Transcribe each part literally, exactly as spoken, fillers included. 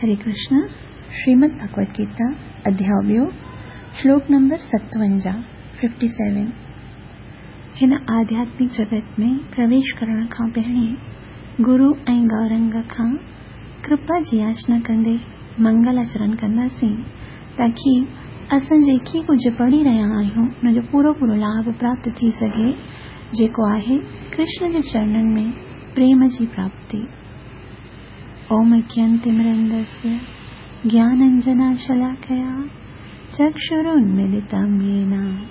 हरे कृष्ण। श्रीमद् भगवद गीता अध्याय ॿियो, श्लोक नंबर सतवंजाह, सत्तावन। हिन आध्यात्मिक जगत में प्रवेश करण खां पहिरीं गुरु ऐं गौरंग खां कृपा जी याचना कंदे मंगलाचरण कंदासीं, ताकी असां जेकी कुझु पढ़ी रहिया आहियूं उनजो पूरो पूरो लाभ प्राप्त थी सघे, जेको आहे कृष्ण जे चरणनि में प्रेम जी प्राप्ति। ओम अज्ञानतिमिरन्दस्य ज्ञानाञ्जनशलाकया चक्षुरुन्मीलितं येन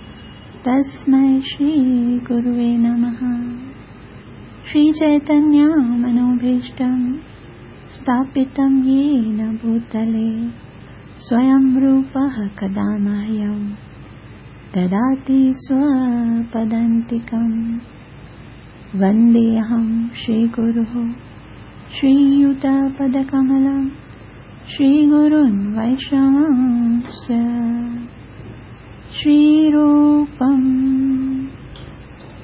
तस्मै श्रीगुरुवे नमः। श्रीचैतन्यमनोभीष्टं स्थापितं येन भूतले स्वयं रूपः कदा मह्यं ददाति स्वपदान्तिकं। वन्देऽहं श्रीगुरुः श्रीयुतपदकमलं श्रीगुरुन् वैष्णवांश्च। श्रीरूपं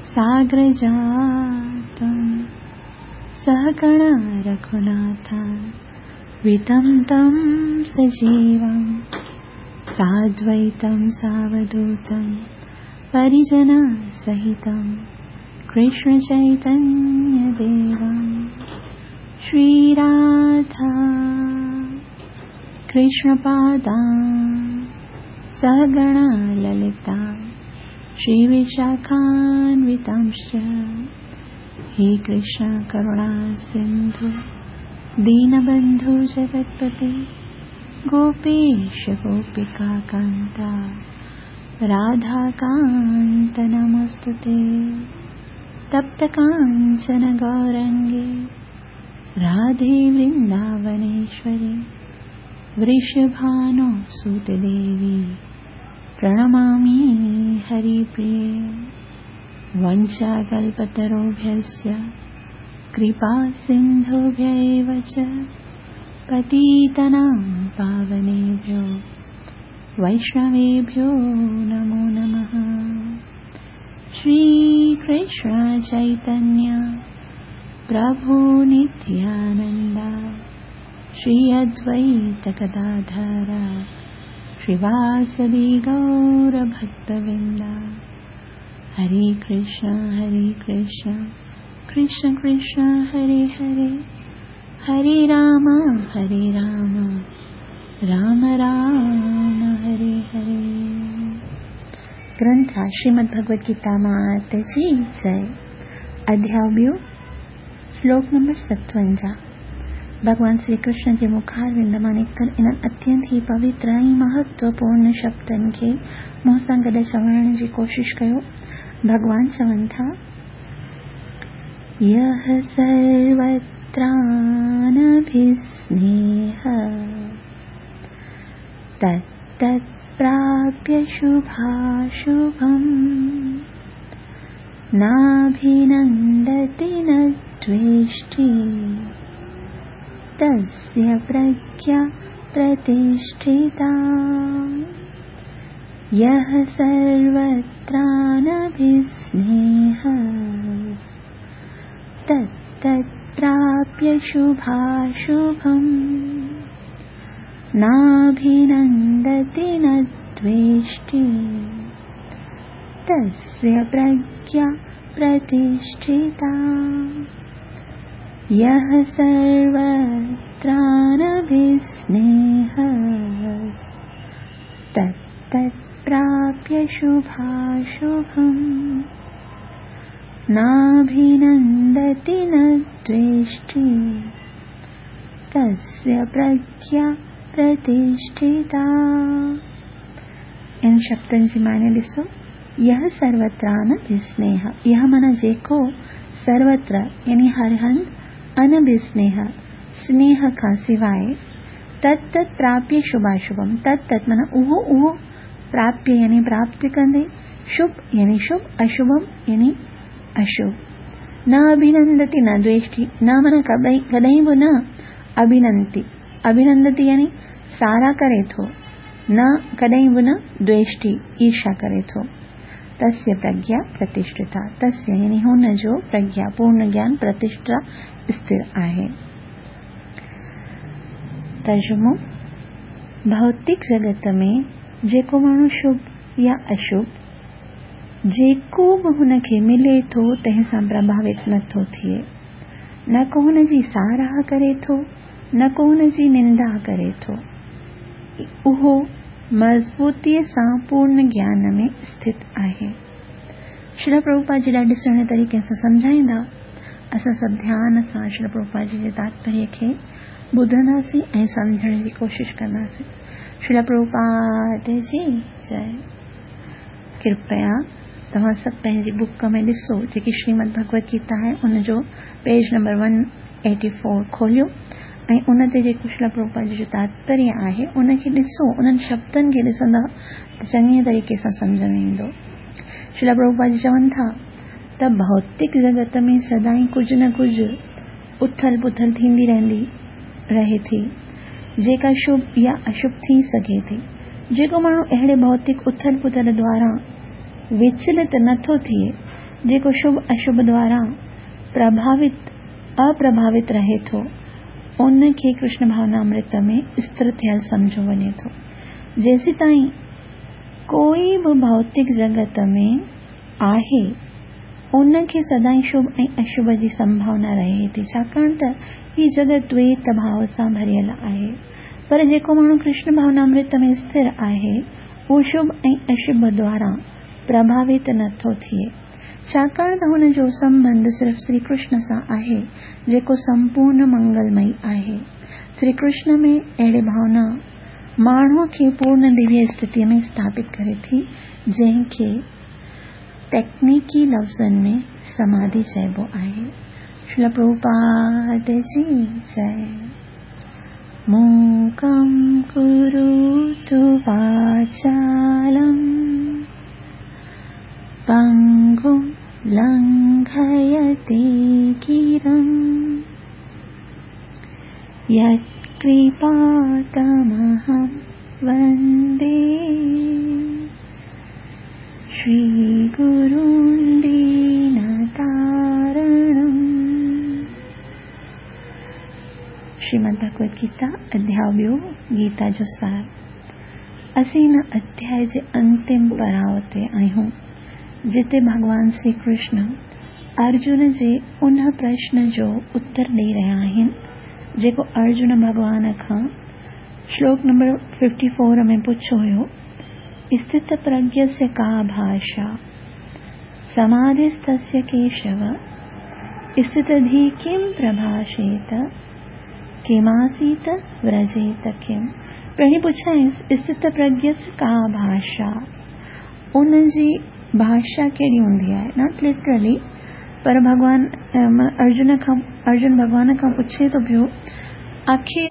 साग्रजातं सहगण रघुनाथं वितं तं सजीवं साद्वैतं सावधूतं परिजनसहितं कृष्णचैतन्यदेवं। श्रीराधा कृष्णपादा सहगण ललिता श्रीविशाखान्वितांश्च। हे कृष्ण करुणा सिन्धु दीनबन्धु जगत्पते गोपेश गोपिका कान्ता राधाकान्त नमोऽस्तुते। तप्त काञ्चन गौरङ्गे राधे वृन्दावनेश्वरी वृषभानो सुतदेवी प्रणमामि हरिप्रिये। वञ्चाकल्पतरुभ्यश्च कृपा सिन्धुभ्य एव च पतितानां पावनेभ्यो वैष्णवेभ्यो नमो नमः। श्रीकृष्ण चैतन्य प्रभु नित्यानन्द श्री अद्वैत गदाधर श्रीवासदि गौरभक्तवृन्द। हरे कृष्ण हरे कृष्ण कृष्ण कृष्ण हरे हरे, हरे राम हरे राम राम राम हरे हरे। ग्रंथ श्रीमद् भगवद गीता मात जी जय। अध्याय ॿियो, श्लोक नंबर सतवंजाह। भॻवान श्री कृष्ण जे मुखारविंद मां निकितल इन्हनि अत्यंत ई पवित्र ऐं महत्वपूर्ण शब्दनि खे मूं सां गॾु चवण जी कोशिश कयो। भॻवान चवनि था, यः सर्वत्रानभिस्नेह तत्तत्प्राप्य शुभाशुभम् नाभिनन्दति न द्वेष्टि तस्य प्रज्ञा प्रतिष्ठिता। यः सर्वत्रानभिस्नेह तत्तत्प्राप्य शुभाशुभम् नाभिनन्दति न द्वेष्टि तस्य प्रज्ञा प्रतिष्ठिता। यः सर्वत्रानभिस्नेह तत्तत्प्राप्य शुभाशुभम् नाभिनन्दति न द्वेष्टि तस्य प्रज्ञा प्रतिष्ठिता। इन शब्दनि जी माने ॾिसो, यह सर्वत्रानभिस्नेह, यह माना जेको, सर्वत्र यानी हर हंधि, अनभिस्नेह स्नेह खां सिवाय, तत्तत् प्राप्य शुभाशुभम, तत्तत् माना उहो उहो, प्राप्य यानी प्राप्त कंदे, शुभ यानी शुभ, अशुभम यानी अशुभ। न अभिनंदति न द्वेष्टि, न माना कॾहिं कॾहिं बि न अभिनंदति, अभिनंदति यानी सारा करे थो, न कॾहिं बि न द्वेष्टि ईर्ष्या करे थो। तस्य प्रज्ञा प्रतिष्ठिता, तस्य यानी हुन जो प्रज्ञा पूर्ण ज्ञान प्रतिष्ठा स्थिर आहे। तर्जुमो, भौतिक जगत में जेको माण्हू शुभ या अशुभ जेको बि हुनखे मिले थो तंहिं सां प्रभावित नथो थिए, न को हुनजी साराह करे थो, न को हुनजी निंदा करे थो। उहो मज़बूतीअ सां पूर्ण ज्ञान में स्थित आहे। श्रील प्रभुपाद जी ॾाढे सुहिणे तरीक़े सां सम्झाईंदा। असां सभु ध्यान सां श्रील प्रभुपाद जी जे तात्पर्य खे ॿुधंदासीं ऐं सम्झण जी कोशिशि कंदासीं। श्रील प्रभुपाद जी जय। कृपया तव्हां सभु पंहिंजी बुक में ॾिसो, जेकी श्रीमद भगवत गीता आहे उनजो page number one eighty four खोलियो ऐं उन ते जेको श्रील प्रभुपाद जी जो तात्पर्य आहे उनखे ॾिसो। उन्हनि शब्दनि खे ॾिसंदा त चङे तरीक़े सां सम्झ में ईंदो। श्रील प्रभुपाद जी चवनि था त भौतिक जगत में सदाईं कुझु न कुझु उथल पुथल थींदी रहंदी रहे थी, जेका शुभ या अशुभ थी सघे थी। जेको माण्हू अहिड़े भौतिक उथल पुथल द्वारा विचलित नथो थिए, जेको शुभ अशुभ द्वारा प्रभावित अप्रभावित रहे थो, उनखे कृष्ण भावनामृत में स्थिर थियल सम्झो वञे थो। जेसीं ताईं कोई बि भौतिक जगत में आहे उनखे सदाईं शुभ ऐं अशुभ जी संभावना रहे थी, छाकाणि त हीअ जगत द्वैत भाव सां भरियल आहे। पर जेको माण्हू कृष्ण भावनामृत में स्थिर आहे उहो शुभ ऐं अशुभ द्वारा प्रभावित नथो थिए, छाकाणि त हुनजो संबंध सिर्फ़ श्री कृष्ण सां आहे, जेको संपूर्ण मंगलमयी आहे। श्री कृष्ण में अहिड़ी भावना माण्हूअ खे पूर्ण दिव्य स्थितीअ में स्थापित करे थी, जंहिंखे तकनीकी लफ़्ज़नि में समाधि चइबो आहे। श्रील प्रभुपाद जी जय। मूकं करोतु वाचालं पङ्गुं लङ्घयते गिरिं यत्कृपातमहं वन्दे श्रीगुरुं दीनतारणम्। श्रीमद् भगवत गीता अध्याय ॿियो, गीता जो सार। असीं हिन अध्याय जे अंतिम पड़ाव ते आहियूं, जिते भॻवान श्री कृष्ण अर्जुन जे उन प्रश्न जो उत्तर ॾेई रहिया आहिनि जेको अर्जुन भॻवान खां श्लोक नंबर फिफ्टी फोर में पुछियो हुयो, स्थित प्रज्ञस्य का भाषा समाधिस्थस्य केशव स्थितधि किं प्रभाषेत किमासीत व्रजेत किम। पहिरीं पुछाईंसि स्थित प्रज्ञस्य का भाषा, उनजी भाषा कहिड़ी हूंदी आहे? Not literally, पर भॻवान अर्जुन खां अर्जुन भॻवान खां पुछे थो पियो आख़िर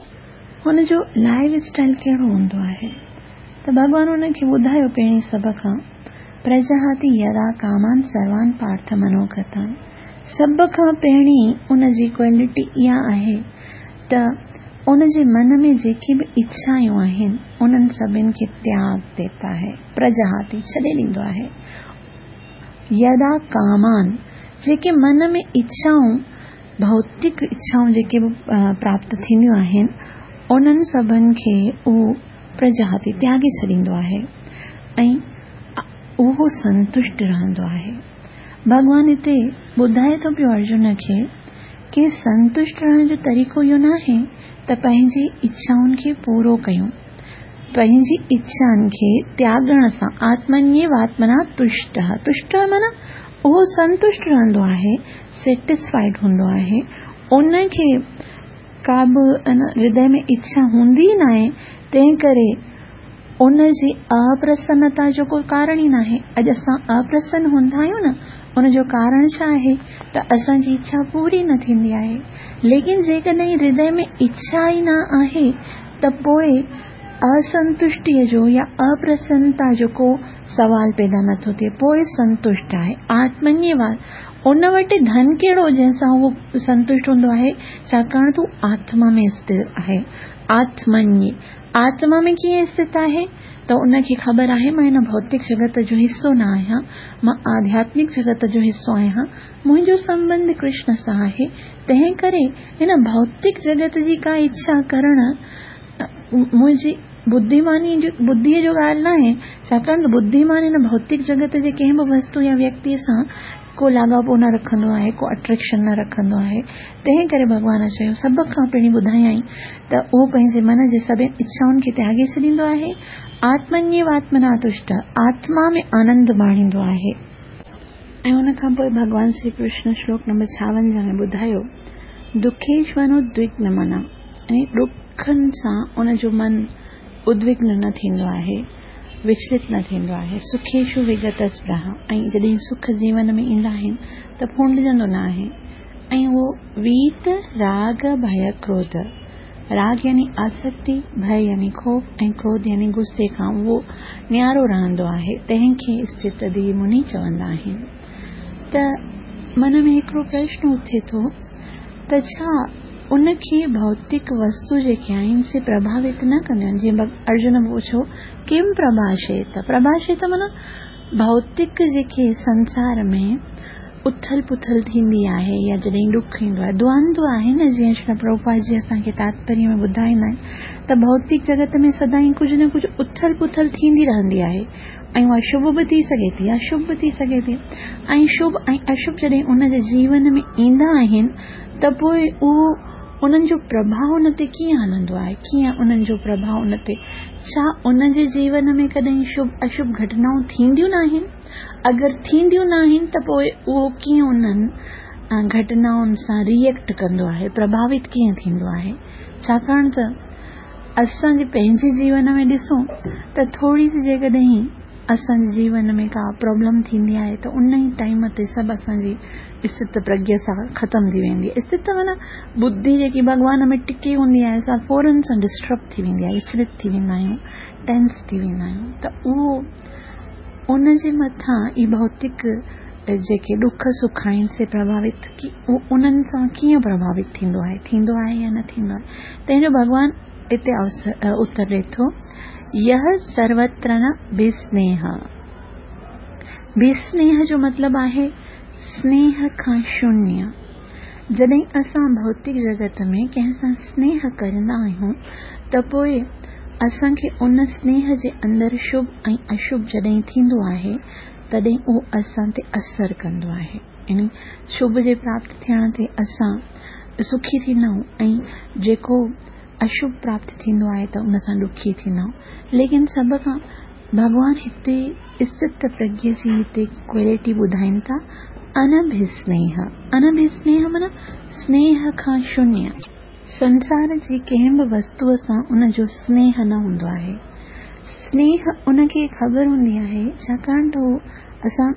हुनजो लाइफ स्टाइल कहिड़ो हूंदो आहे। त भॻवान हुनखे ॿुधायो पहिरीं सभ खां, प्रजहाति यदा कामान सर्वान पार्थ मनोगतान। सभ खां पहिरीं उनजी क्वालिटी इहा आहे त उनजे मन में जेकी बि इच्छायूं आहिनि उन्हनि सभिनि खे त्याग देता है, प्रजहाति छॾे ॾींदो आहे। यदा कामान, जेके मन में इच्छाऊं भौतिक इच्छाऊं जेके बि प्राप्त थींदियूं आहिनि उन्हनि सभिनि खे उहो प्रजहाति त्यागे छॾींदो आहे ऐं उहो संतुष्ट रहंदो आहे। भॻवान हिते ॿुधाए थो पियो अर्जुन खे की संतुष्ट रहण जो तरीक़ो इहो न आहे त पंहिंजी इच्छाउनि खे पूरो कयूं, पंहिंजी इच्छाउनि खे त्यागण सां आत्मन्येव आत्मना तुष्टः, तुष्ट माना उहो संतुष्ट रहंदो आहे, सेटिस्फाइड हूंदो आहे, उनखे का बि हृदय में इच्छा हूंदी न आहे, तंहिं करे उनजी अप्रसन्नता जो को कारण ई न आहे। अॼु असां अप्रसन्न हूंदा आहियूं न, उनजो कारण छा आहे त असांजी इच्छा पूरी न थींदी आहे। लेकिन जेकॾहिं हृदय में इच्छा ई न आहे त पोइ असंतुष्टीअ जो या अप्रसन्नता जो को सवाल पैदा नथो थिए, पोइ संतुष्ट आहे। आत्मन्येव, उन वटि धन कहिड़ो जंहिंसां उहो संतुष्ट हूंदो आहे, छाकाणि त हू आत्मा में स्थिर आहे। आत्मन्ये, आत्मा में कीअं स्थित आहे त उनखे ख़बर आहे मां हिन भौतिक जगत जो हिसो न आहियां, मां आध्यात्मिक जगत जो हिसो आहियां, मुंहिंजो संबंध कृष्ण सां आहे, तंहिं करे हिन भौतिक जगत जी का इच्छा करण मुंहिंजी बुद्धिमानी जो बुद्धीअ जो ॻाल्हि न आहे, छाकाणि त बुद्धिमान हिन भौतिक जगत जे कंहिं बि वस्तु या व्यक्तीअ सां को लाॻापो न रखंदो आहे, को अट्रैक्शन न रखंदो आहे। तंहिं करे भॻवान चयो, सभ खां पहिरीं ॿुधायाईं त उहो पंहिंजे मन जे सभिनी इच्छाउनि खे त्यागे छॾींदो आहे, आत्मन्येव आत्मना तुष्ट, आत्मा में आनंद माणींदो आहे। ऐं उन खां पोइ भॻवान श्री कृष्ण श्लोक नंबर छावंजाह में ॿुधायो, दुखेष्वनुद्विग्न मना, ऐं ॾुखनि सां उनजो मन उद्विग्न न थींदो आहे, विचलित न थींदो आहे। सुखेषु विगत स्पृहा, ऐं जॾहिं सुख जीवन में ईंदा आहिनि त फूंडिजंदो न आहे। ऐं उहो वीत राग भय क्रोध, राग यानी आसक्ति, भय यानी ख़ौफ़ ऐं क्रोध यानी गुस्से खां उहो न्यारो रहंदो आहे, तंहिंखे स्थित धी मुनि चवंदा आहिनि। त मन में हिकिड़ो प्रश्न उथे थो त छा उनखे भौतिक वस्तु जेके आहिनि से प्रभावित न कंदियूं आहिनि? जीअं अर्जुन पुछियो, किम प्रभाषेत? प्रभाषेत माना भौतिक जेके संसार में उथल पुथल थींदी आहे या जॾहिं ॾुख ईंदो आहे, द्वंद्व आहे न, जीअं श्री प्रभुपाद जी असांखे तात्पर्य में ॿुधाईंदा आहिनि त भौतिक जगत में सदाईं कुझु न कुझु उथल पुथल थींदी रहंदी आहे ऐं उहा शुभ बि थी सघे थी, अशुभ बि थी सघे थी। ऐं शुभ ऐं अशुभ जॾहिं उनजे जीवन में ईंदा आहिनि त पोइ उहो उन्हनि जो प्रभाव उन ते कीअं हलंदो आहे, कीअं उन्हनि जो प्रभाव उन ते, छा उनजे जीवन में कॾहिं शुभ अशुभ घटनाऊं थींदियूं न आहिनि? अगरि थींदियूं न आहिनि त पोइ उहो कीअं उन्हनि घटनाउनि सां रिएक्ट कंदो आहे, प्रभावित कीअं थींदो आहे? छाकाणि त असांजे पंहिंजे जीवन में ॾिसूं त थोरी सी जेकॾहिं असांजे जीवन में का प्रॉब्लम थींदी आहे त उन ई टाइम ते सभु असांजी स्थित प्रज्ञा सां ख़तमु थी वेंदी आहे। स्थित माना बुद्धि जेकी भॻवान में टिकी हूंदी आहे सा फ़ौरन सां डिस्टर्ब थी वेंदी आहे, विचलित थी वेंदा आहियूं, टेंस थी वेंदा आहियूं। त उहो उनजे मथां ई भौतिक जेके ॾुख सुख आहिनि से प्रभावित की उन्हनि सां कीअं प्रभावित थींदो आहे, थींदो आहे या न थींदो आहे? तंहिंजो भॻवान हिते उत्तर ॾिए थो, यह सर्वत्र न विस्नेह। विस्नेह जो मतिलबु आहे स्नेह खां शून्य। जॾहिं असां भौतिक जगत में कंहिं सां स्नेह कंदा आहियूं त पोइ असांखे उन स्नेह जे अंदरि शुभ ऐं अशुभ जॾहिं थींदो आहे तॾहिं उहो असां ते असर कंदो आहे। यानी शुभ जे प्राप्त थियण ते असां सुखी थींदा आहियूं ऐं जेको अशुभ प्राप्त थींदो आहे त उन सां दुखी थींदा आहियूं। लेकिन सभ खां भॻवान हिते स्थित प्रज्ञ जी हिते क्वालिटी ॿुधाइनि था, अनभिस्नेह। अनभिस्नेह माना स्नेह खां शून्य। संसार जी कंहिं बि वस्तूअ सां उनजो स्नेह न हूंदो आहे। स्नेह उनखे ख़बर हूंदी आहे, छाकाणि त उहो असां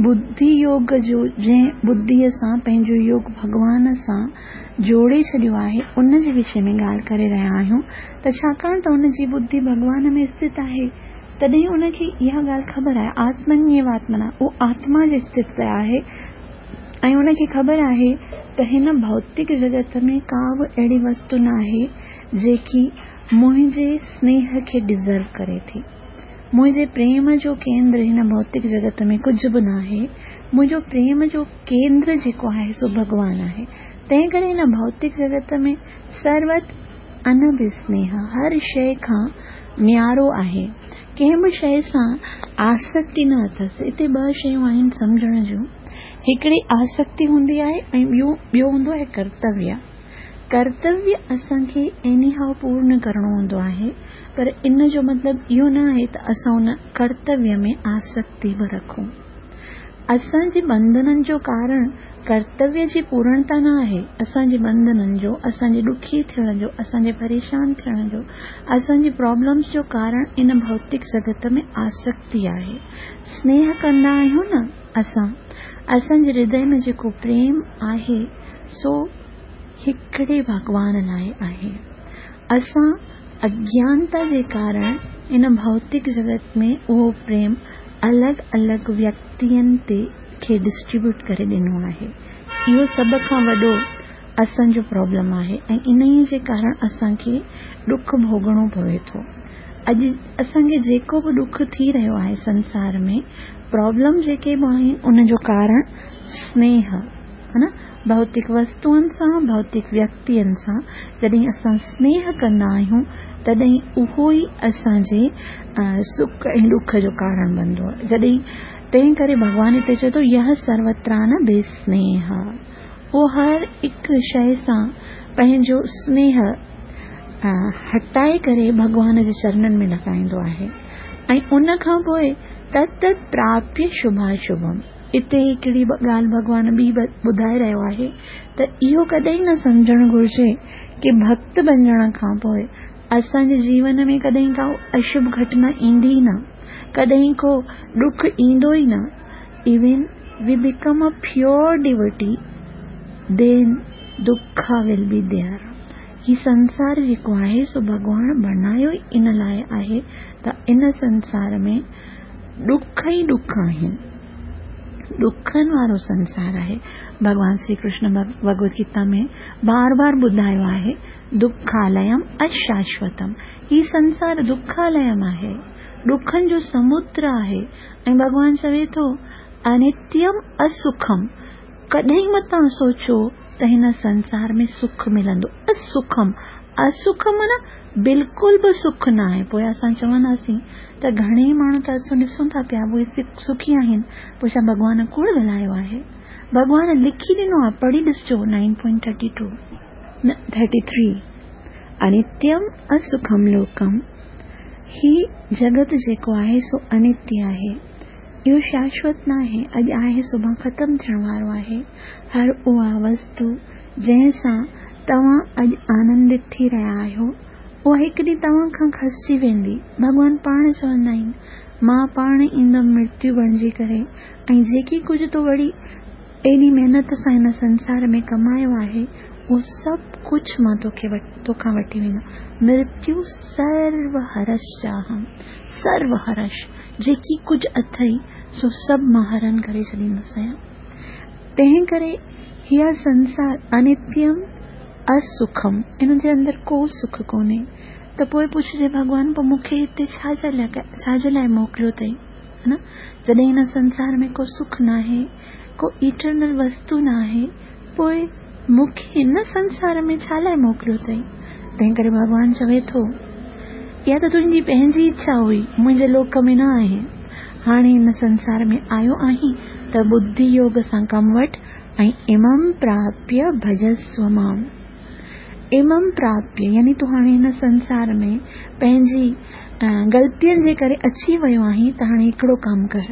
बुद्धि योग जो जंहिं बुद्धीअ सां पंहिंजो योग भॻवान सां जोड़े छॾियो आहे उन जे विषय में ॻाल्हि करे रहिया आहियूं। त छाकाणि त उनजी बुद्धि भॻवान में स्थित आहे तॾहिं उनखे इहा ॻाल्हि ख़बर आहे, आत्मन्येव आत्मना, उहो आत्मा जे स्थित आहे ऐं उनखे ख़बर आहे त हिन भौतिक जगत में का बि अहिड़ी वस्तु न आहे जेकी मुंहिंजे स्नेह खे डिज़र्व करे थी। मुंहिंजे प्रेम जो केंद्र हिन भौतिक जगत में कुझु बि न आहे। मुंहिंजो प्रेम जो केंद्र जेको आहे सो भॻवान आहे। तंहिं करे हिन भौतिक जगत में सर्वत अनभिस्नेह, हर शइ खां न्यारो आहे, कंहिं बि शइ सां आसक्ति न अथसि। हिते ॿ शयूं आहिनि सम्झण जूं, हिकिड़ी आसक्ति हूंदी आहे ऐं ॿियो ॿियो हूंदो आहे कर्तव्य। कर्तव्य असांखे एनी how पूर्ण करिणो हूंदो आहे, पर इन जो मतिलबु इहो न आहे त असां उन कर्तव्य में आसक्ति बि रखूं। असांजे बंधननि जो कारण कर्तव्य जी पूर्णता न आहे। असांजे बंधननि जो, असांजे ॾुखी थियण जो, असांजे परेशान थियण जो, असांजी प्रॉब्लम्स जो कारण इन भौतिक जगत में आसक्ति आहे। स्नेह कंदा आहियूं न असां, असांजे हृदय में जेको प्रेम आहे सो हिकिड़े भॻवान लाइ आहे। असां अज्ञानता जे कारण इन भौतिक जगत में उहो प्रेम अलॻि अलॻि व्यक्तियुनि ते खे डिस्ट्रीब्यूट करे ॾिनो आहे। इहो सभ खां वॾो असांजो प्रॉब्लम आहे ऐं इन जे कारण असांखे ॾुख भोगणो पवे थो। अॼु असांखे जेको बि ॾुख थी रहियो आहे संसार में, प्रॉब्लम जेके बि आहिनि उनजो कारण स्नेह है न, भौतिक वस्तुअनि सां, भौतिक व्यक्तियुनि सां जॾहिं असां स्नेह कंदा आहियूं तॾहिं उहो ई असांजे सुख ऐं ॾुख जो कारण बनंदो आहे। जॾहिं तंहिं करे भॻवान हिते चए थो यह सर्वत्रानभिस्नेह, उहो हर हिकु शइ सां पंहिंजो स्नेह हटाए करे भॻवान जे चरणनि में लॻाईंदो आहे। ऐं उन खां पोइ तत् तत् प्राप्य शुभाशुभम, हिते हिकिड़ी ॻाल्हि भॻवान ॿी ॿुधाए रहियो आहे त इहो कॾहिं न सम्झणु घुरिजे की भक्त बणिजण खां पोइ असांजे जीवन में कॾहिं का अशुभ घटना ईंदी न, कॾहिं को ॾुख ईंदो ई न। Even we become a pure devotee then दुख will be there. ही संसार जेको आहे सो भॻवान बणायो ई इन लाइ आहे त इन संसार में ॾुख ई ॾुख आहिनि, ॾुखनि वारो संसार आहे। भॻवान श्री कृष्ण भगवद गीता में बार बार ॿुधायो आहे दुखालयम अशाश्वतम, ही संसार दुखालयम आहे, ॾुखनि जो समुद्र आहे। ऐं भॻवान चवे थो अनित्यम असुखम, कॾहिं मतां सोचो त हिन संसार में सुख मिलंदो। असुखम, असुख माना बिल्कुलु बि सुख न आहे। पोइ असां चवंदासीं त घणेई माण्हू त असां ॾिसूं था पिया उहे सुखी आहिनि, पोइ छा भॻवान कूड़ ॻाल्हायो आहे? भॻवान लिखी ॾिनो आहे, पढ़ी ॾिसजो nine point thirty two thirty three अनित्यम असुखम लोकम, ही जगत जेको आहे सो अनित्य आहे, इहो शाश्वत न आहे, अॼु आहे सुभाणे ख़तमु थियण वारो आहे। हर उहा वस्तु जंहिं सां तव्हां अॼु आनंदित थी रहिया आहियो उहा हिकु ॾींहुं तव्हां खां खसिजी वेंदी। भॻवान पाण चवंदा आहिनि मां पाण ईंदमि मृत्यु बणिजी करे ऐं जेकी कुझु तो वरी एॾी महिनत सां हिन संसार में कमायो आहे उहो सभु कुझु मां तोखे तोखां वठी वेंदो। मृत्यु सर्वहरश्चाहम, सर्वहरश जेकी कुझु अथई सो सभु मां हरण करे छॾींदुसि आहियां। तंहिं करे हीअ संसार अनित्यम असुखम, इन जे अंदरि को सुख कोन्हे। त पोइ पुछिजे भॻवान पोइ मूंखे हिते छा जे लाइ छा जे लाइ मोकिलियो अथई? न, जॾहिं हिन संसार में को सुख न आहे, को इटरनल वस्तु न आहे, पोइ मूंखे हिन संसार में छा लाइ मोकिलियो अथई? तंहिं करे भॻवान चवे थो इहा त तुंहिंजी पंहिंजी इच्छा हुई, मुंहिंजे लोक में न आहे। हाणे हिन संसार में आयो आहीं त बुद्धि योग सां कमु वठि ऐं इमं प्राप्य भजस्व माम्। इमं प्राप्य यानी तूं हाणे हिन संसार में पंहिंजी ग़लतियुनि जे करे अची वियो आहीं त हाणे हिकिड़ो कमु कर,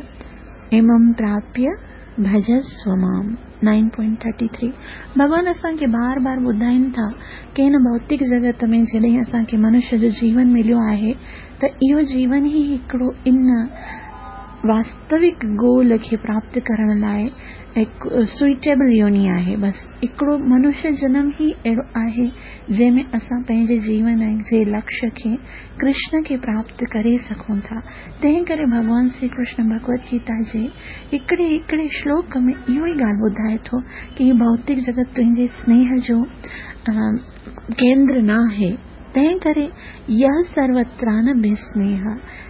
इमं प्राप्य भजस्व माम्। नाइन पॉइंट थर्टी थ्री भॻवान असांखे बार बार ॿुधाइनि था की हिन भौतिक जगत में जॾहिं असांखे मनुष्य जो जीवन मिलियो आहे त इहो जीवन ई हिकिड़ो इन वास्तविक गोल खे प्राप्त करण लाइ हिकु सुइटेबल योनि आहे। बसि हिकिड़ो मनुष्य जनम ई अहिड़ो आहे जंहिंमें असां पंहिंजे जीवन जे लक्ष्य खे कृष्ण खे प्राप्त करे सघूं था। तंहिं करे भॻवान श्री कृष्ण भगवद गीता जे हिकिड़े हिकिड़े श्लोक में इहो ई ॻाल्हि ॿुधाए थो की भौतिक जगत तुंहिंजे स्नेह जो केंद्र न आहे। तंहिं करे यह सर्वत्रानभिस्नेह,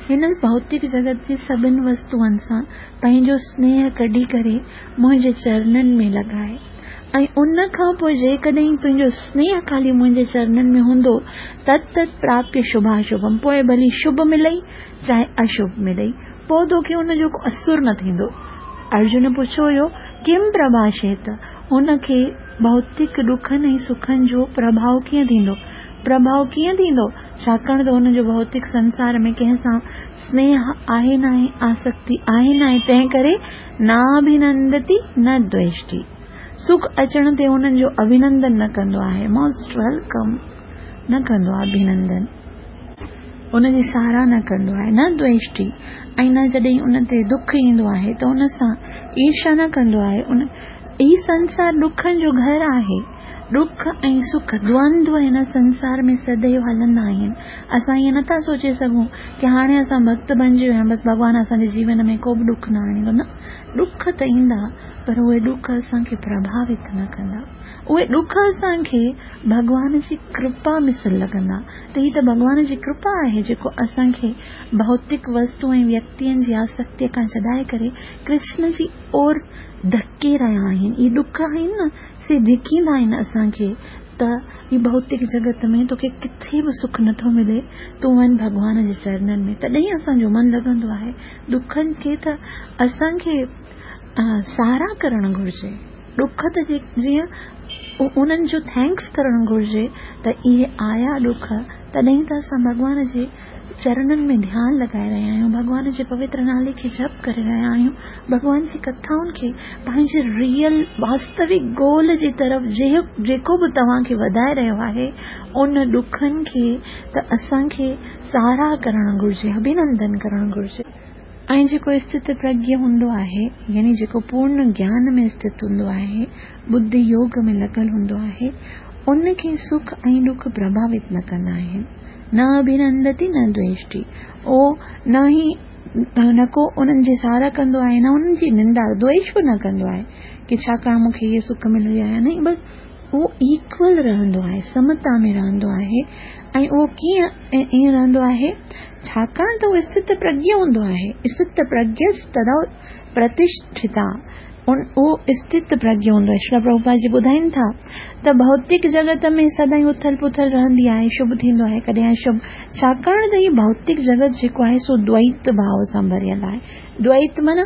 हिन भौतिक जगत जे सभिनि वस्तुअनि सां पंहिंजो स्नेह कढी करे मुंहिंजे चरणनि में लॻाए ऐं उन खां पोइ जेकॾहिं तुंहिंजो स्नेह ख़ाली मुंहिंजे चरणनि में हूंदो तत् तत् प्राप्य शुभाशुभम, पोइ भली शुभ मिलई चाहे अशुभ मिलई, पोइ तोखे उनजो को असरु न थींदो। अर्जुन पुछियो हुयो किम प्रभाषेत, हुनखे भौतिक ॾुखनि ऐं सुखनि जो प्रभाव कीअं थींदो? प्रभाव कीअं थींदो? छाकाणि त हुनजो भौतिक संसार में कंहिं सां स्नेह आहे न आहे, आसक्ति आहे न आहे, तंहिं करे नाभिनंदति न द्वेष्टि, सुख अचण ते हुननि जो अभिनंदन न कंदो आहे, मोस्ट welcome न कंदो आहे अभिनंदन, उनजी सराह न कंदो आहे, न द्वेष्टि, ऐं न जॾहिं उन ते दुख ईंदो आहे त उन सां ईर्ष्या न कंदो आहे। उन ही संसार ॾुखनि जो घर आहे, ॾुख ऐं सुख द्वंद्व हिन संसार में सदैव हलंदा आहिनि। असां ईअं नथा सोचे सघूं की हाणे असां भक्त बणिजी विया आहियूं, बसि भॻवान असांजे जीवन में को बि ॾुख न आणींदो। न, ॾुख त ईंदा पर उहे ॾुख असांखे प्रभावित न कंदा, उहे ॾुख असांखे भॻवान जी कृपा मिसल लॻंदा। त हीअ त भॻवान जी कृपा आहे जेको असांखे भौतिक वस्तु ऐं व्यक्तियुनि जी आसक्तिअ खां छॾाए करे कृष्ण जी ओर धके रहिया आहिनि। इहे ॾुख आहिनि न, से धिकींदा आहिनि असांखे त ही भौतिक जगत में तोखे किथे बि सुख नथो मिले, तूं वञ भॻवान जे चरणनि में, तॾहिं असांजो मन लॻंदो आहे। ॾुखनि खे त असांखे साराह करणु घुरिजे, ॾुख त जीअं उन्हनि जो thanks करणु घुरिजे त इहे आया ॾुख, तॾहिं त असां भॻवान जे चरणनि में ध्यानु लॻाए रहिया आहियूं, भॻवान जे पवित्र नाले खे जप करे रहिया आहियूं, भॻवान जी कथाउनि खे पंहिंजे रियल वास्तविक गोल जे तरफ़ जेको बि तव्हांखे वधाए रहियो आहे, उन ॾुखनि खे त असांखे साराह करणु घुरिजे, अभिनंदन करणु घुरिजे। ऐं जेको स्थित प्रज्ञ हूंदो आहे, यानी जेको पूर्ण ज्ञान में स्थित हूंदो आहे, बुद्धि योग में लॻल हूंदो आहे, उनखे सुख ऐं ॾुख प्रभावित न कंदा आहिनि। न अभिनंदति न द्वेष्टि, उहो न ई न को उन्हनि जी साराह कंदो आहे, न उन्हनि जी निंदा, द्वेष बि न कंदो आहे की छाकाणि मूंखे इहे सुख मिली वियो आहे, न, बसि उहो इक्वल रहंदो आहे, समता में रहंदो आहे। ऐं उहो कीअं ईअं रहंदो आहे, छाकाणि त उहो स्थित प्रज्ञ हूंदो आहे। स्थित प्रज्ञ तदा प्रतिष्ठिता, उन उहो स्थित प्रज्ञ हूंदो आहे। श्री प्रभुपाद जी ॿुधाइनि था त भौतिक जगत में सदाईं उथल पुथल रहंदी आहे, शुभ थींदो आहे कॾहिं अशुभ, छाकाणि त हीउ भौतिक जगत जेको आहे सो द्वैत भाव सां भरियल आहे। द्वैत माना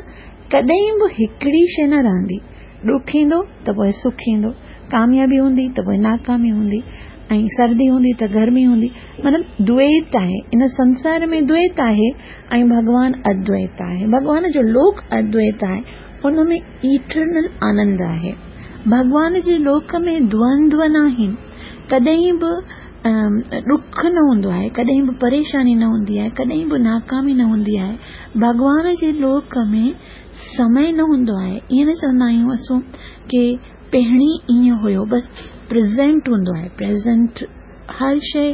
कॾहिं बि हिकिड़ी शइ न रहंदी, ॾुख ईंदो त पोइ सुख ईंदो, कामयाबी हूंदी त पोइ नाकामी हूंदी, ऐं सर्दी हूंदी त गर्मी हूंदी, माना द्वैत आहे। इन संसार में द्वैत आहे ऐं भॻवान अद्वैत आहे, भॻवान जो लोक अद्वैत आहे, उन में इटर्नल आनंद आहे। भॻवान जे लोक में द्वंद्व न आहिनि, कॾहिं बि ॾुख न हूंदो आहे, कॾहिं बि परेशानी न हूंदी आहे, कॾहिं बि नाकामी न हूंदी आहे। भॻवान जे लोक में समय न हूंदो आहे। ईअं न चवंदा आहियूं असां की पहिरीं ईअं हुयो, बसि प्रेज़ेंट हूंदो आहे। प्रेज़ेंट हर शइ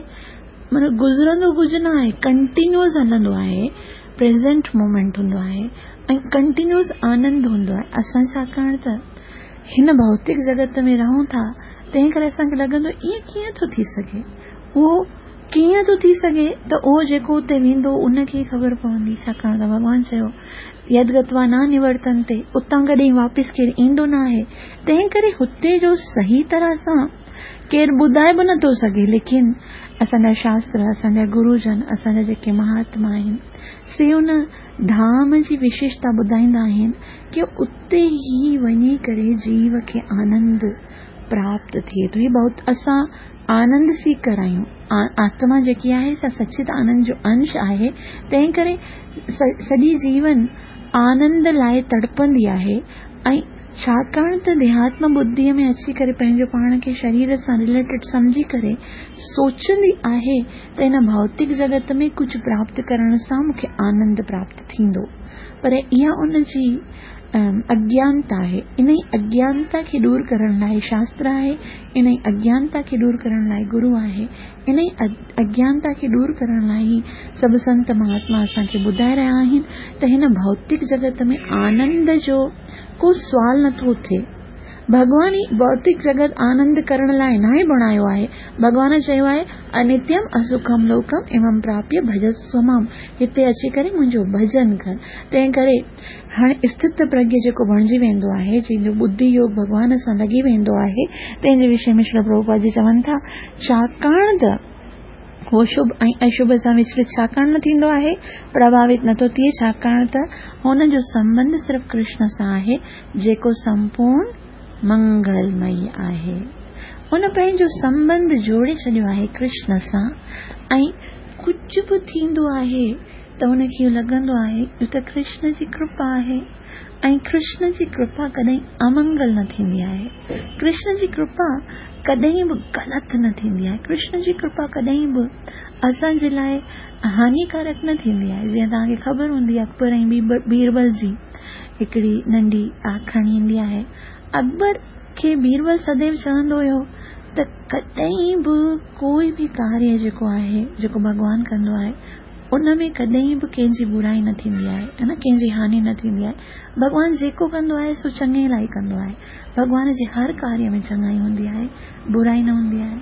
माना गुज़रंदो कुझु न आहे, कंटिन्यूअस हलंदो आहे, प्रेज़ेंट मोमेंट हूंदो आहे ऐं कंटिन्यूअस आनंद हूंदो आहे। असां छाकाणि त हिन भौतिक जगत में रहूं था, तंहिं करे असांखे लॻंदो ईअं कीअं थो थी सघे, उहो कीअं थो थी सघे, त उहो जेको उते वेंदो उनखे ई ख़बर पवंदी। छाकाणि त भॻवान चयो यद गत्वा न निवर्तन्ते, उतां कॾहिं वापसि केरु ईंदो न आहे। तंहिं करे हुते जो सही तरह सां केरु ॿुधाए बि नथो सघे, लेकिन असांजा शास्त्र, असांजा गुरुजन, असांजा जेके महात्मा आहिनि, से उन धाम जी विशेषता ॿुधाईंदा आहिनि की उते ई वञी करे जीव खे आनंद प्राप्त थिए थो। हीउ बहुत असां आनंद सीकर आहियूं, आत्मा जेकी आहे सा सचित आनंद जो अंश आहे, तंहिं करे सॼी जीवन आनंद लाइ तड़पंदी आहे। ऐं छाकाणि त देहात्म बुद्धीअ में अची करे पंहिंजो पाण खे शरीर सां रिलेटेड सम्झी करे सोचंदी आहे त हिन भौतिक जगत में कुझु प्राप्त करण सां मूंखे आनंद प्राप्त थींदो, पर इहा उनजी अज्ञानता आहे। इन ई अज्ञानता खे दूर करण लाइ शास्त्र आहे, इन ई अज्ञानता खे दूर करण लाइ गुरू आहे, इन ई अज्ञानता खे दूर करण लाइ ई सभु संत महात्मा असांखे ॿुधाए रहिया आहिनि त हिन भौतिक जगत में आनंद जो को सुवाल नथो थिए। भॻवान ई भौतिक जगत आनंद करण लाइ नाहे बणायो आहे। भॻवान चयो आहे अनित्यम असुखम लोकम इमं प्राप्य भजस्व माम, हिते अची करे मुंहिंजो भजन कर। तंहिं करे हाणे स्थित प्रज्ञ जेको बणिजी वेंदो आहे, जंहिंजो बुद्धि योग भॻवान सां लॻी वेंदो आहे, तंहिंजे विषय में श्री प्रभुपाद जी चवनि था छाकाणि त उहो शुभ ऐं अशुभ सां विचलित छाकाणि न थींदो आहे, प्रभावित नथो थिए, छाकाणि त हुनजो संबंध सिर्फ़ कृष्ण सां आहे जेको संपूर्ण मंगलमयी आहे। हुन पंहिंजो संबंध जोड़े छॾियो आहे कृष्ण सां ऐं कुझु बि थींदो आहे त हुनखे इहो लॻंदो आहे इहो त कृष्ण जी कृपा आहे ऐं कृष्ण जी कृपा कॾहिं अमंगल न थींदी आहे, कृष्ण जी कृपा कॾहिं बि ग़लति न थींदी आहे, कृष्ण जी कृपा कॾहिं बि असांजे लाइ हानिकारक न थींदी आहे। जीअं तव्हांखे ख़बर हूंदी अकबर ऐं बीरबल जी हिकिड़ी नंढी आखाणी ईंदी आहे। अकबर खे बीरबल सदैव चवंदो हुयो त कॾहिं बि कोई बि कार्य जेको आहे जेको भॻवान कंदो आहे उन में कॾहिं बि कंहिंजी बुराई न थींदी आहे, है न, कंहिंजी हानि न थींदी आहे। भॻवान जेको कंदो आहे सो चङे लाइ कंदो आहे। भॻवान जे हर कार्य में चङाई हूंदी आहे, बुराई न हूंदी आहे।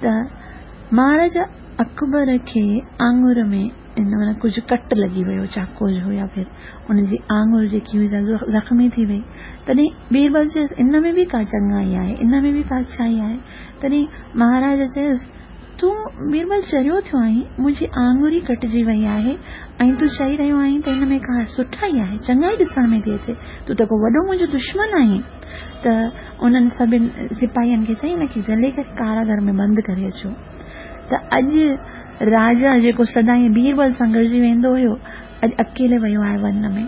त महाराजा अकबर खे आङुर में هن معنيٰ ڪجهه ڪٽ لڳي ويو چاقوء جو يا ڦر ان جي آڱر جيڪي هئي سا زخمي ٿي وئي. تڏهن بيربل چيس ان ۾ به ڪا چڱائي آهي، ان ۾ به ڪا اڇائي آهي. تڏهن مهاراج چيس تون بيربل چريو ٿيو آهين، منهنجي آڱر ئي ڪٽجي وئي آهي ۽ تون چئي رهيو آهين ته ان ۾ ڪا سٺائي آهي، چڱائي ڏسڻ ۾ ٿي اچي، تون ته ڪو وڏو منهنجو دشمن آهين. ته انهن سڀني سپاهين کي چئي ان کي جهلي ڪري ڪاراگهر ۾ بند ڪري اچو. ته اڄ راجا جيڪو سدائين بيربل سان گڏجي ويندو هيو، اڄ اڪيلي ويو آهي ون ۾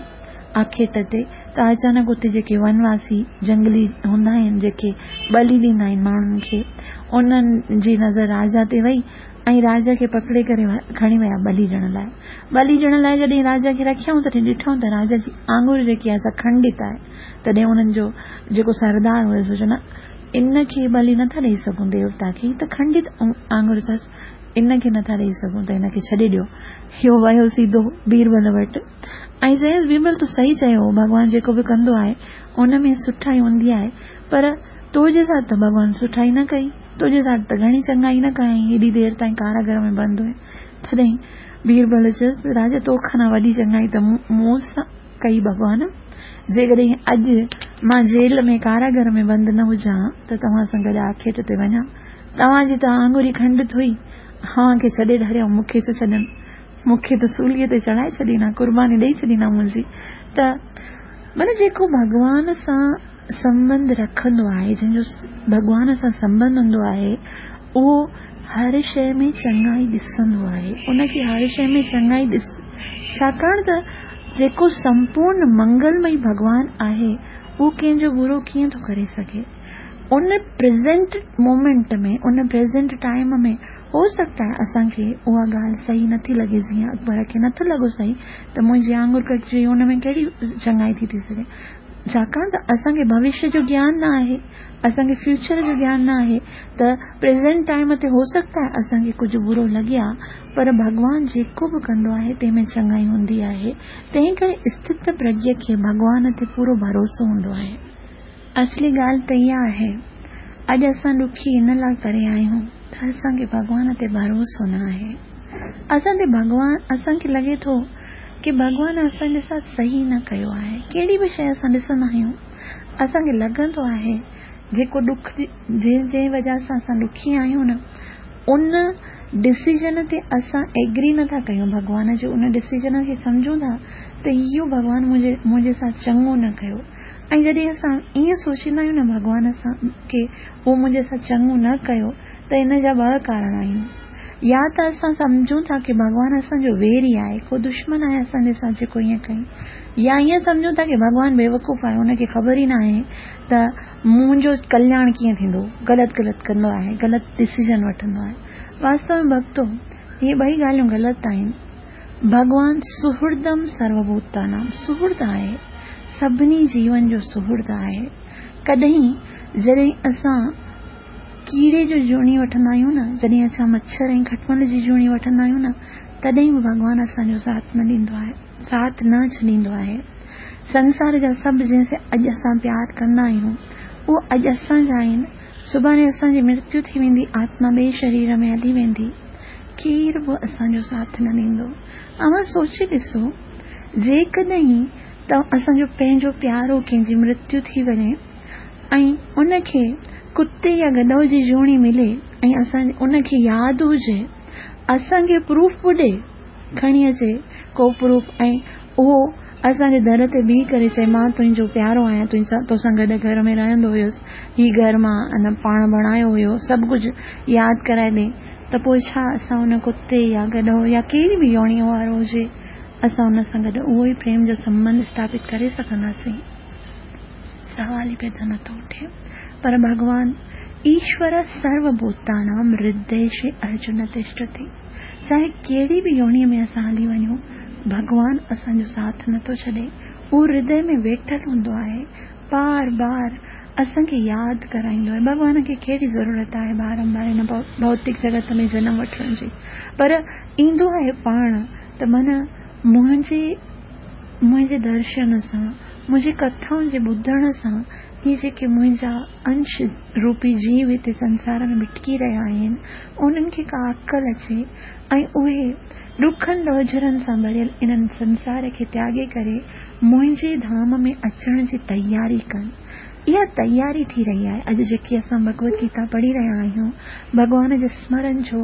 آکيٽ تي. ته اچانڪ اتي جيڪي ونواسي جنگلي هوندا آهن، جيڪي ٻلي ڏيندا آهن ماڻهن کي، انهن جي نظر راجا تي وئي ۽ راجا کي پڪڙي ڪري کڻي ويا ٻلي ڏيڻ لاء. ٻلي ڏيڻ لاء جڏهن راجا کي رکيائون تڏهن ڏٺائون ته راجا جي آڱر جيڪي آهي سا کنڊت آهي. تڏهن انهن جو جيڪو سردار هيو سو چيو نه ان کي ٻلي نٿا ڏيئي سگهون ديوتا کي، هي ته کنڊت آڱر اٿس، ان کي نٿا ڏيئي سگهون ته هن کي ڇڏي ڏيو. اهو ويو سڌو بيربل وٽ ۽ چيس بيربل تون صحيح چيو، ڀڳوان جيڪو به ڪندو آهي ان ۾ سٺائي هوندي آهي، پر تو جي ساٿ ته ڀڳوان سٺائي نه ڪئي، تو جي ساٿ ته گهڻي چڱائي نه ڪيائين، هيڏي دير تائين ڪاراگهر ۾ بند هئين. تڏهن بيربل چيس راجا تو کان وڏي چڱائي ته مون سان ڪئي ڀڳوان، جيڪڏهن اڄ مان جيل ۾ ڪاراگهر ۾ بند نه هجان ته توهان سان گڏ آکيٽ تي وڃان، توهان جي ته آڱر ئي کنڊت هئي، اوهان کي ڇڏي ڍريائون، مون کي ڇو ڇڏن، مون کي ته سوليءَ تي چڙهائي ڇڏيندا، قرباني ڏيئي ڇڏيندا منهنجي. ته معنيٰ جيڪو ڀڳوان سان سنٻنڌ رکندو آهي، جنهن جو ڀڳوان سان سنٻنڌ هوندو آهي، اهو هر شيءِ ۾ چڱائي ڏسندو آهي، ان کي هر شيءِ ۾ چڱائي ڏس، ڇاڪاڻ ته جيڪو سمپورڻ منگلمئي ڀڳوان آهي اهو ڪنهن جو برو ڪيئن ٿو ڪري سگهي. In present moment ۾، in present time ۾ هو سگهتا آهي اسان کي اها ڳالهه صحيح نٿي لڳي، جيئن اڪبر کي نٿو لڳو صحيح ته منهنجي آڱر ڪٽجي وئي، ان ۾ ڪهڙي چڱائي ٿي ٿي سگهي، ڇاڪاڻ ته اسان کي ڀوشيه جو گيان نه آهي، اسان کي فيوچر جو گيان نه آهي. ته پريزنٽ ٽائيم تي هو سگهتا آهي اسان کي ڪجهه برو لڳي آهي، پر ڀڳوان جيڪو به ڪندو آهي تنهن ۾ چڱائي هوندي آهي. تنهن ڪري اسٿت پرگيه کي ڀڳوان تي پورو ڀروسو هوندو آهي. اصلي ڳالهه ته اها آهي اڄ اسان ڏکي ان لاءِ ڪري آهيون ته اسان کي ڀڳوان تي ڀروسو نه آهي. اسان تي ڀڳوان، اسان کي لڳي ٿو ڪه ڀڳوان اسان جي ساٿ صحيح نه ڪيو آهي. ڪهڙي به شيءِ اسان ڏسندا آهيون اسان کي لڳندو آهي جيڪو ڏک جنهن جنهن وجهه سان اسان ڏکي آهيون نه، ان ڊسيزن تي اسان ايگري نٿا ڪيون. ڀڳوان جي ان ڊسيزن کي سمجهون ٿا ته اهو ڀڳوان منهنجي منهنجي ساٿ چڱو نه ڪيو. ۽ جڏهن اسان ائين سوچيندا آهيون نه ڀڳوان سان ڪه اهو منهنجي سان چڱو نه ڪيو، ته ان جا ٻه ڪارڻ آهن. يا ته اسان سمجهون ٿا ڪه ڀڳوان اسان جو ويري آهي، ڪو دشمن آهي اسان جي سان جيڪو ائين ڪئي، يا ائين سمجهون ٿا ڪه ڀڳوان بيوقوف آهي، ان کي خبر ئي نه آهي ته منهنجو ڪلياڻ ڪيئن ٿيندو، غلط غلط ڪندو آهي، غلط ڊسيزن وٺندو آهي. واستو ۾ ڀڳتو اهي ٻئي ڳالهيون غلط آهن. ڀڳوان سهردم سروڀوتانام، سهرد آهي، سڀني جيون جو سهرد آهي. ڪڏهن جڏهن اسان ڪيڙي جو جوڻي وٺندا آهيون نه، جڏهن اسان مڇر ۽ کٽمل جي جوڻي وٺندا آهيون نه، تڏهن به ڀڳوان اسان جو ساٿ نه ڏيندو آهي، ساٿ نه ڇڏيندو آهي. سنسار جا سڀ جنهن سان اڄ اسان پيار ڪندا آهيون اهو اڄ اسان جا آهن، سڀاڻي اسان جي مرتيو ٿي ويندي، آتما ٻئي شرير ۾ هلي ويندي، ڪير به اسان جو ساٿ نه ڏيندو. اوهان سوچي ڏسو، جيڪڏهن ته اسان جو پنهنجو پيارو ڪنهن جي مرتيو ٿي وڃي ۽ ان کي ڪتي يا گڏو جي جوڻي ملي ۽ اسان ان کي ياد هجي، اسان کي پروف به ڏئي، کڻي اچي ڪو پروف، ۽ اهو اسان جي در تي بيهه ڪري چئي مان تنهنجو پيارو آهيان، تو سان گڏ گهر ۾ رهندو هيس، هي گهر مان ان پاڻ بڻايو هيو، سڀ ڪجهه ياد ڪرائي ڏئي، ته پوءِ ڇا اسان ان ڪتي يا گڏو يا ڪهڙي به يوڻيءَ وارو هجي، اسان ان سان گڏ اهو ئي پريم جو سنٻنڌ اسٿاپت ڪري سگهنداسين؟ سوال ئي پيدا نٿو اٺي. پر ڀڳوان ايشور سروڀوتانام هرديشي ارجن تشٺتي، چاهي ڪهڙي به يوڻيءَ ۾ اسان هلي وڃون، ڀڳوان اسان جو ساٿ نٿو ڇڏي. اهو هردي ۾ ويٺل هوندو آهي، بار بار اسان کي ياد ڪرائيندو آهي. ڀڳوان کي ڪهڙي ضرورت آهي بارمبار هن ڀوتڪ جڳت ۾ جنم وٺڻ جي؟ پر ايندو آهي پاڻ ته معنيٰ منهنجي منهنجي درشن سان، منهنجي ڪٿائن جي ٻڌڻ سان اهي جيڪي منهنجا انش روپي جيو هتي سنسار ۾ ڀٽڪي رهيا آهن، انهن کي ڪا عقل اچي ۽ اهي ڏکن ڏوجهرن سان ڀريل انهن سنسار کي تياڳي ڪري منهنجي ڌام ۾ اچڻ جي تياري ڪن. اها تياري ٿي رهي آهي. اڄ جيڪي اسان ڀڳوت گيتا پڙهي رهيا آهيون، ڀڳوان جي سمرن جو،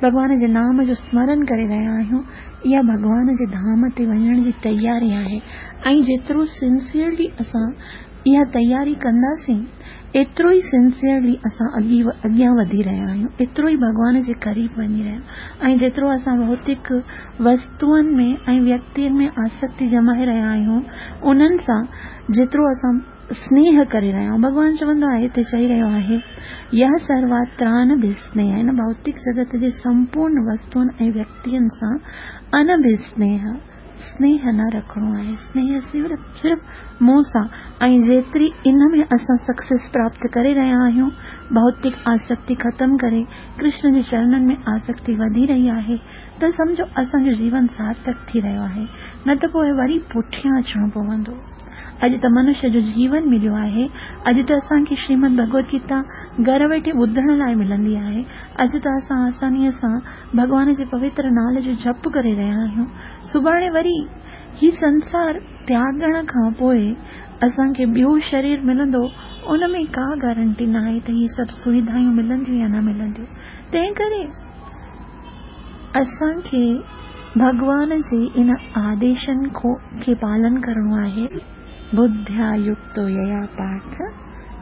ڀڳوان جي نام جو سمرن ڪري رهيا آهيون، اها ڀڳوان جي ڌام تي وڃڻ جي تياري آهي. ۽ جيترو سنسيئرلي اسان اها تياري ڪنداسين، ايترو ئي سنسيئرلي اسان اڳيان وڌي رهيا آهيون، ايترو ئي ڀڳوان جي قريب وڃي رهيا آهيون. ۽ جيترو اسان ڀوتڪ وستوئن ۾ ۽ ويڪتين ۾ آسڪتي ڄمائي رهيا آهيون، انهن سان جيترو اسان سنيهه ڪري رهيا آهيون. ڀڳوان چوندو آهي، هتي چئي رهيو آهي، يهه سرواترانڀسنيهه، هن ڀوتڪ جڳت جي سمپورڻ وستوئن ۽ ويڪتين سان انڀسنيهه، سنيهه نه رکڻو آهي، سنيهه صرف صرف مون سان. ۽ جيتري ان ۾ اسان سڪسيس پراپت ڪري رهيا آهيون، ڀوتڪ آسڪتي ختم ڪري ڪرشن جي چرنن ۾ آسڪتي وڌي رهي آهي، ته سمجهو اسان جو جيون سارٿڪ ٿي رهيو آهي، نه ته پوء وري پٺيان اچڻو پوندو. اڄ ته منشيه جو جيون مليو آهي، اڄ ته اسان کي شريمد ڀڳوت گيتا گهر ويٺي ٻڌڻ لاء ملندي آهي، اڄ ته اسان آسانيء سان ڀڳوان جي پوتر نالي جو جپ ڪري رهيا آهيون. سڀاڻي وري هي سنسار تياڳڻ کان پوء اسان کي ٻيو شرير ملندو، ان ۾ ڪا گارنٽي ناهي ته هي سڀ سوڌايون ملنديون يا نه ملنديون. تنهن ڪري اسان کي ڀڳوان جي ان آديشن کي پالن ڪرڻو آهي. ٻڌيا يڪتو ييا پارٿ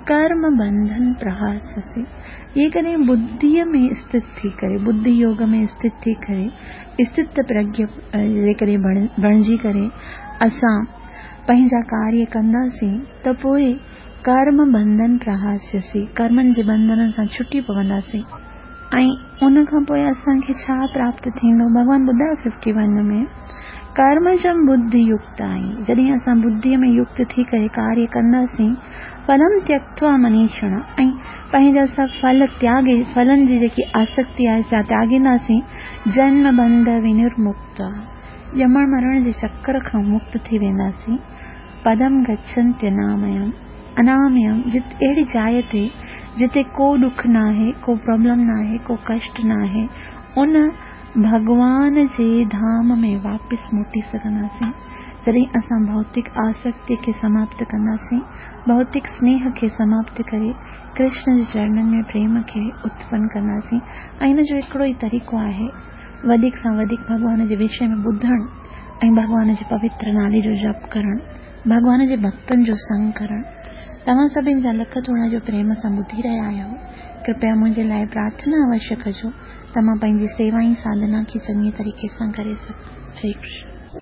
ڪرم بنڌن پرهاسسي. جيڪڏهن ٻڌيء ۾ اسٿت ٿي ڪري، ٻڌي يوگ ۾ اسٿت ٿي ڪري، اسٿت پرگيه جيڪڏهن بڻجي ڪري اسان پنهنجا ڪاريه ڪنداسين ته پوء ڪرم بنڌن پرهاسيسي، ڪرمن جي بنڌنن سان ڇٽي پونداسين. ۽ ان کان پوء اسان کي ڇا پراپت ٿيندو؟ ڀڳوان ٻڌايو ففٽي ون ۾ ڪرمجم ٻڌي يڪت آهين، جڏهن اسان ٻڌيء ۾ يڪت ٿي ڪري ڪاريه ڪنداسين، ڦلم تيڪتوا منيشڻ، ۽ پنهنجا سڀ ڦل تياڳي، ڦلن جي جيڪي آسڪتي آهي سا تياڳينداسين، جنم بنڌ ونرمڪت، ڄمڻ مرڻ جي چڪر کان مڪت ٿي وينداسين. پدم گڇنتي اناميم، اناميم، جت اهڙي جاء تي جتي ڪو ڏک ناهي، ڪو پرابلم ناهي، ڪو ڪشٽ ناهي، ان ڀڳوان جي ڌام ۾ واپس موٽي سگهنداسين. جڏهن اسان ڀوتڪ آسڪتي کي سماپت ڪنداسين، ڀوتڪ سنيهه کي سماپت ڪري ڪرشن جي چرنن ۾ پريم کي اتپن ڪنداسين. ۽ ان جو هڪڙو ئي طريقو آهي، وڌيڪ سان وڌيڪ ڀڳوان جي وشي ۾ ٻڌڻ ۽ ڀڳوان جي پوتر نالي جو جپ ڪرڻ، ڀڳوان جي ڀڳتن جو سنگ ڪرڻ. توهان سڀني جا لک ٿورا جو پريم سان ٻڌي رهيا آهيو. ڪرپيا منهنجي لاءِ پرارٿنا اوشيه ڪجو ته مان پنهنجي سيوا ۽ ساڌنا کي چڱي طريقي سان ڪري سگهان. هري ڪرشن.